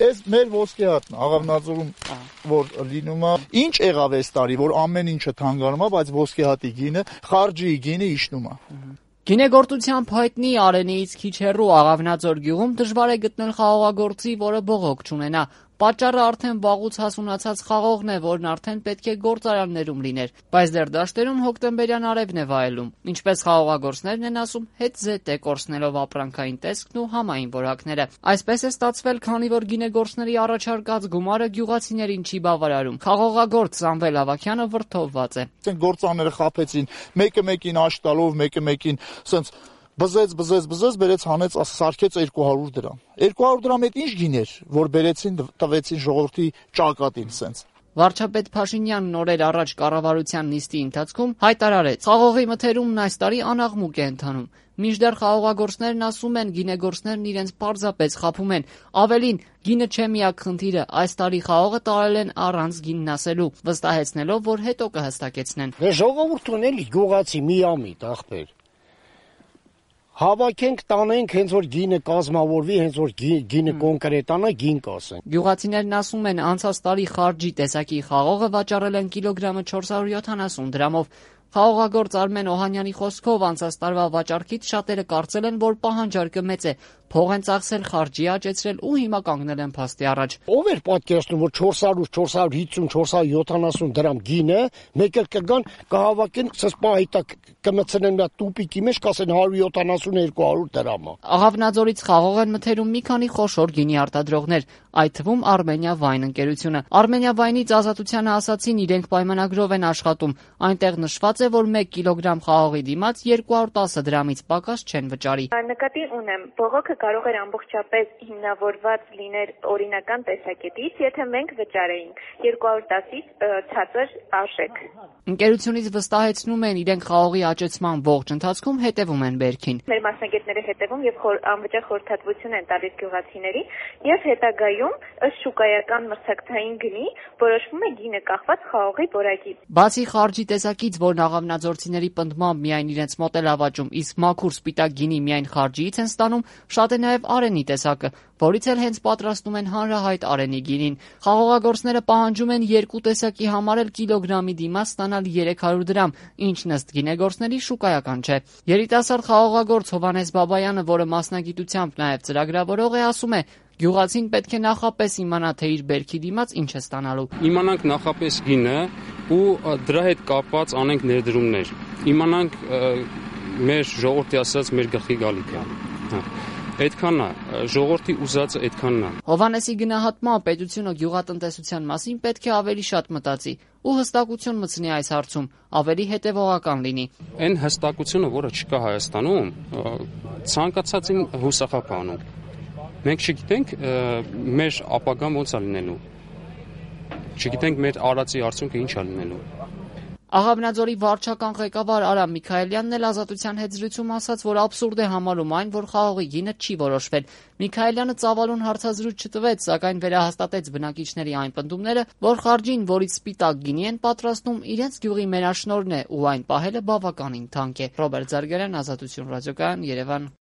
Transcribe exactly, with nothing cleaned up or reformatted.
Այս մեր ոսկեհատն Աղավնաձորում որ լինում է, ինչ եղավ այս տարի, որ ամեն ինչը թանկանում է, բայց ոսկեհատի գինը, խարճի գինը իջնում է։ Գինեգործությամբ հայտնի Արենիից քիչ հեռու Աղավնաձոր գյուղում դժվար է գտնել խաղողագործի, որը բողոք չունենա։ Պատճառը արդեն վաղուց հասունացած խաղողն է, որն արդեն պետք է գործարաններում լիներ, բայց դեռ դաշտերում հոկտեմբերյան արևն է վայելում։ Ինչպես խաղողագործներն են ասում, հետ-զետ է կորցնելով ապրանքային տեսքն ու համային որակները։ Այսպես է ստացվել, քանի որ գինեգործների առաջարկած գումարը գյուղացիներին չի բավարարում։ Խաղողագործ Սամվել Ավագյանը վրդովված է։ Գործարանները խաբեցին, մեկը մեկին աշ տալով, մեկը մեկին սենց բզեց, բզեց, բզեց, բերեց հանեց, սարքեց երկու հարյուր դրամ։ երկու հարյուր դրամ այդ ինչ գին էր, որ բերեցին տվեցին ժողովրդի ճակատին սենց։ Վարչապետ Փաշինյանն օրեր առաջ կառավարության նիստի ընթացքում հայտարարեց. «Խաղողի մթերումն այս տարի անաղմուկ է ընթանում»։ Մինչդեռ խաղողագործներն ասում են, գինեգործներն իրենց պարզապես խաբում են։ Ավելին, գինը չէ միակ խնդիրը, այս տարի խաղողը տարել են առանց գինն ասելու, վստահեցնելով, որ հետո կհստակեցնեն։ Ժողովուրդն էլի գյուղացի միամիտ ախպեր։ Հավաքենք, տանենք, հենց որ գինը կազմավորվի, հենց որ գինը կոնկրետանա, գին կասեն։ Գյուղացիներն ասում են, անցած տարի խարճի տեսակի խաղողը վաճառել են կիլոգրամը չորս հարյուր յոթանասուն դրամով։ Խաղողագործ Արմեն Օհանյանի խոսքով անցած տարվա վաճառքից շատերը կարծել են, որ պահանջարկը մեծ է, փող են ծախսել, խարճի աճեցրել ու հիմա կանգնել են փաստի առաջ։ Ով էր պատկերացնում, որ չորս հարյուր, չորս հարյուր հիսուն, չորս հարյուր յոթանասուն դրամ գինը, մեկը կգան, կհավաքեն, սպահիտա կմցնեն մի տուպիկի մեջ, կասեն հարյուր յոթանասուն երկու հարյուր դրամ է։ Աղավնաձորից խաղող են մթերում մի քանի խոշոր գինի արտադրողներ, այդ թվում Արմենիա Վայն ընկերությունը։ Արմենիա Վայնից Ազատությանը ասացին, իրենք պայմանագրով են աշխատում։ Այնտեղ նշված է, որ մեկ կիլոգրամ խաղողի դիմաց երկու հարյուր տասը դրամից պակաս չեն վճարի։ Նկատի ունեմ, բողոքը կարող էր ամբողջապես հիմնավորված լիներ օրինական տեսակետից, եթե մենք վճարեինք երկու հարյուր տասից ցածր արժեք։ Ընկերությունից վստահեցնում են, իրենք խաղողի աճեցման ողջ ընթացքում հետևում են բերքին։ Մեր մասնագետները հետևում եւ անվճար խորհրդատվություն են տալիս գյուղացիներին եւ հետագայում ըստ շուկայական մրցակցային գնի որոշվում է գինը կախված խաղողի որակից։ Բացի խարճի տեսակից, որն աղավնաձորցիների պնդմամբ միայն իրենց մոտ է ավաճում, իսկ մաքուր սպիտակ գինի միայն խարճիից են ստանում, շատ է նաև Արենի տեսակը, որից էլ հենց պատրաստում են հանրահայտ Արենի գինին։ Խաղողագործները պահանջում են երկու տեսակի համար էլ կիլոգրամի դիմաց ստանալ երեք հարյուր դրամ, ինչն ըստ գինեգործների շուկայական չէ։ Երիտասարդ խաղողագործ Հովհաննես Բաբայանը, որը մասնագիտությամբ նաև ծրագրավորող է, ասում է. Գյուղացին պետք է նախապես իմանա, թե իր բերքի դիմաց ինչ է ստանալու։ Իմանանք նախապես գինը ու դրա հետ կապված անենք ներդրումներ։ Իմանանք մեր ժողովրդի ասած մեր գլխի գալիքը։ Այդքանն է, ժողովրդի ուզածը այդքանն է։ Հովհաննեսի գնահատմամբ պետությունը գյուղատնտեսության մասին պետք է ավելի շատ մտածի ու հստակություն մտցնի այս հարցում, ավելի հետևողական լինի։ Այն հստակությունը, որը չկա Հայաստանում, ցանկացածին հուսախապանում։ Մենք չգիտենք մեր ապագան ոնց է լինելու։ Չգիտենք մեր արածի արդյունքը ինչ է լինելու։ Աղավնաձորի վարչական ղեկավար Արամ Միքայելյանն էլ Ազատության հետ զրույցում ասաց, որ աբսուրդ է համարում այն, որ խաղողի գինը չի որոշվել։ Միքայելյանը ծավալուն հարցազրույց չտվեց, սակայն վերահաստատեց բնակիչների այն պնդումները, որ խարճին, որից սպիտակ գինի են պատրաստում, իրենց գյուղի մենաշնորհն է ու այն պահելը բավականին թանկ է։ Ռոբերտ Զարգարյան, Ազատություն ռադիոկայան, Երևան։